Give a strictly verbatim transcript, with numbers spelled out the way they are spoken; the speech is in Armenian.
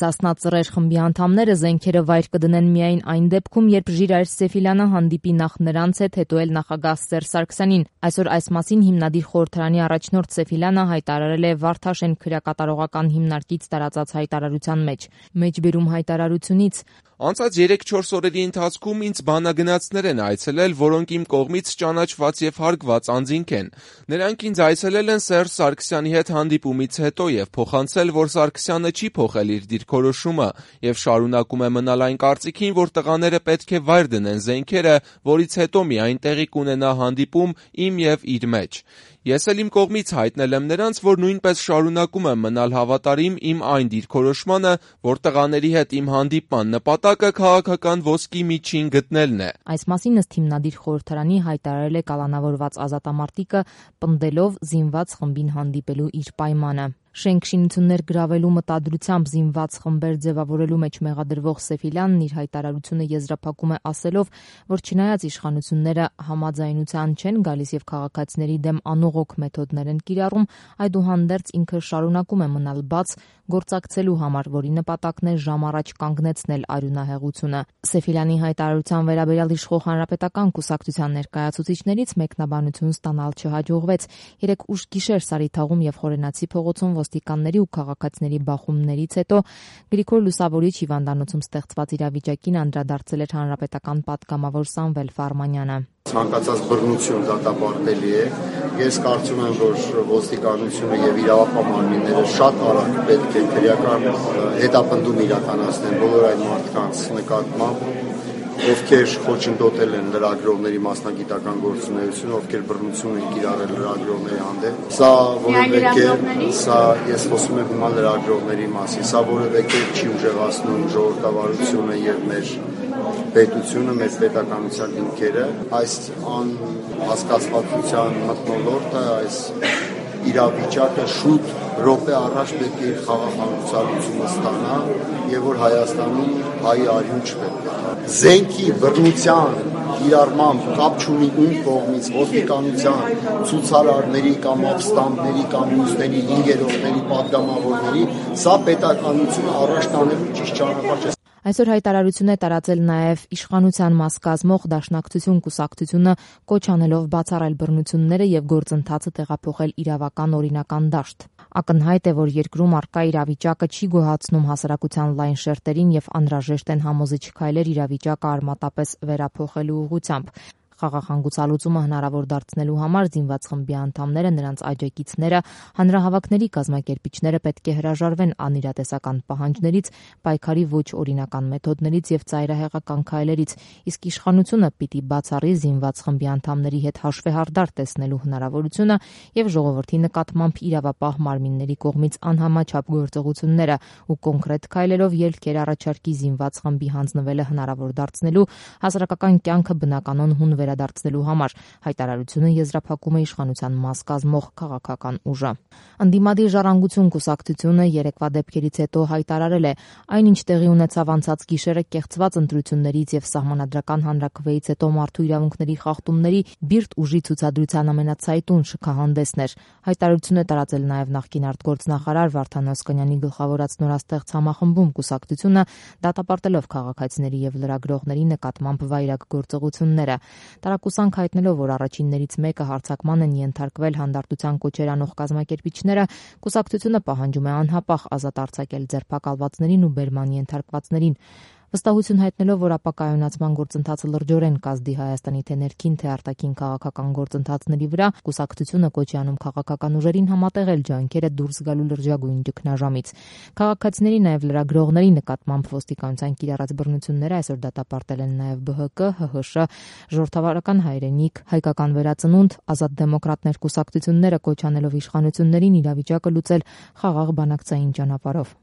Սասնա Ծռեր խմբի անդամները զենքերը վայր կդնեն միայն այն դեպքում, երբ Ժիրայր Սեֆիլյանը հանդիպի նախ նրանց հետ, հետո էլ նախագահ Սերժ Սարգսյանին։ Այսօր այս մասին հիմնադիր խորհրդարանի առաջնորդ Սեֆիլյանը հայտարարել է Վարդաշեն քրեակատարողական հիմնարկից տարածած հայտարարության մեջ։ Մեջբերում հայտարարությունից Անցած երեք-չորս օրերի ընթացքում ինձ բանագնացներ են այցելել, որոնք իմ կողմից ճանաչված եւ հարգված անձինք են։ Նրանք ինձ այցելել են Սերժ Սարգսյանի հետ հանդիպումից հետո եւ փոխանցել, որ Սարգսյանը չի փոխել իր դիրքորոշումը եւ շարունակում է մնալ այն կարծիքին, որ տղաները պետք է վայր դնեն զենքերը, որից հետո միայն տեղի կունենա հանդիպում իմ եւ իր մեջ։ Ես էլ իմ կողմից հայտնել եմ նրանց, որ նույնպես շարունակում եմ մնալ հավատարիմ իմ այն դիրքորոշմանը, որ տղաների հետ իմ հանդիպման նպատակը քաղաքական ոսկի միջին գտնելն է։ Այս մասին ըստ հիմնադիր խորհրդարանի հայտարարել է կալանավորված ազատամարտիկը, պնդելով զինված խմբին հանդիպելու իր պայմանը։ Շենք շինություններ գրավելու մտադրությամբ զինված խմբեր ձևավորելու մեջ մեղադրվող Սեֆիլյանն իր հայտարարությունը եզրափակում է ասելով, որ չնայած իշխանությունները համաձայնության չեն գալիս եւ քաղաքացիների դեմ անողոք մեթոդներ են կիրառում, այդուհանդերձ ինքը շարունակում է մնալ բաց գործակցելու համար, որի նպատակն է ժամ առաջ կանգնեցնել արյունահեղությունը։ Սեֆիլյանի հայտարարության վերաբերյալ իշխող հանրապետական կուսակցության ներկայացուցիչներից մեկնաբանություն ստանալ չհաջողվեց։ Երեկ ուշ գիշեր Սարիթաղում եւ Խորենացի փողոցում ոստիկանների ու քաղաքացիների բախումներից հետո Գրիգոր Լուսավորիչ հիվանդանոցում ստեղծված իրավիճակին անդրադարձել էր հանրապետական պատգամավոր Սամվել Ֆարմանյանը։ Ցանկացած բռնություն դատապարտելի է։ Ես կարծում եմ, որ ոստիկանությունը եւ իրավապահ մարմինները շատ արագ պետք է քրեական հետապնդում իրականացնեն բոլոր այն մարդկանց նկատմամբ, ովքեր խոչընդոտել են լրագրողների մասնագիտական գործունեությունը, ովքեր բռնություն են կիրառել լրագրողների հանդեպ։ Սա որևէ կերպ, սա ես խոսում եմ հիմա լրագրողների մասին, սա որևէ կերպ չի ուժեղացնում ժողովրդավարությունը եւ մեր պետությունը, մեր պետականության հիմքերը, այս անհասկացվածության մթնոլորտը, այս իրավիճակը շուտ րոպե առաջ պետք է իր խաղաղանկացությունը ստանա եւ որ Հայաստանում հայ արյուն չպետք է։ Զենքի բռնության կիրառմամբ կապ չունի ում կողմից, ոստիկանության, ցուցարարների կամ ապստամբների կամ մյուսների ինգերողների, պատգամավորների, սա պետականությունը առաջ տանելու ճիշտ ճանապարհ չէ։ Այսօր հայտարարություն է տարածել նաև իշխանության մաս կազմող Դաշնակցություն կուսակցությունը, կոչ անելով բացառել բռնությունները եւ գործընթացը տեղափոխել իրավական օրինական դաշտ։ Ակնհայտ է, որ երկրում առկա իրավիճակը չի գոհացնում հասարակության լայն շերտերին եւ անհրաժեշտ են համոզիչ քայլեր իրավիճակը արմատապես վերափոխելու ուղղությամբ։ Խաղաղանկուցալուծումը հնարավոր դարձնելու համար զինված խմբի անդամները, նրանց աջակիցները, հանրահավաքների կազմակերպիչները պետք է հրաժարվեն անիրատեսական պահանջներից, պայքարի ոչ օրինական մեթոդներից եւ ծայրահեղական քայլերից, իսկ իշխանությունը պիտի բացառի զինված խմբի անդամների հետ հաշվեհարդար տեսնելու հնարավորությունը եւ ժողովրդի նկատմամբ իրավապահ մարմինների կողմից անհամաչափ գործողությունները ու կոնկրետ քայլերով ելքեր առաջարկի զինված խմբի հանձնվելը հնարավոր դարձնելու, հասարակական կյանքը բնականon հուն վերադարձնելու համար, հայտարարությունը եզրափակում է իշխանության մաս կազմող քաղաքական ուժը։ Ընդդիմադիր Ժառանգություն կուսակցությունը երեկվա դեպքերից հետո հայտարարել է, այնինչ տեղի ունեցավ անցած գիշերը կեղծված ընտրություններից եւ սահմանադրական հանրաքվեից հետո մարդու իրավունքների խախտումների բիրտ ուժի ցուցադրության ամենացայտուն շքահանդեսն էր։ Հայտարարություն է տարածել նաեւ նախկին արտգործնախարար Վարդան Օսկանյանի գլխավորած նորաստեղծ համախմբում կուսակցությունը, դատապարտելով քաղաքացիների եւ լրագրողների նկատմամբ վայրագ գործողությունները։ Տարակուսանք հայտնելով, որ առաջիններից մեկը հարձակման են ենթարկվել հանդարտության կոչեր անող կազմակերպիչները, կուսակցությունը պահանջում է անհապաղ ազատ արձակել ձերբակալվածներին ու բերման ենթարկվածներին։ Վստահություն հայտնելով, որ ապակայունացման գործընթացը լրջորեն կազդի Հայաստանի թե ներքին, թե արտաքին քաղաքական գործընթացների վրա, կուսակցությունը կոչ է անում քաղաքական ուժերին համատեղել ջանքերը դուրս գալու լրջագույն ճգնաժամից։ Քաղաքացիների, նաև լրագրողների նկատմամբ ոստիկանության կիրառած բռնությունները այսօր դատապարտել են նաև Բ Հ Կ, Հ Հ Շ, Ժողովրդավարական հայրենիք, Հայկական վերածնունդ, Ազատ դեմոկրատներ կուսակցությունները կոչ անելով իշխանություններին իրավիճակը լուծել խաղաղ բանակցային ճանապարհով։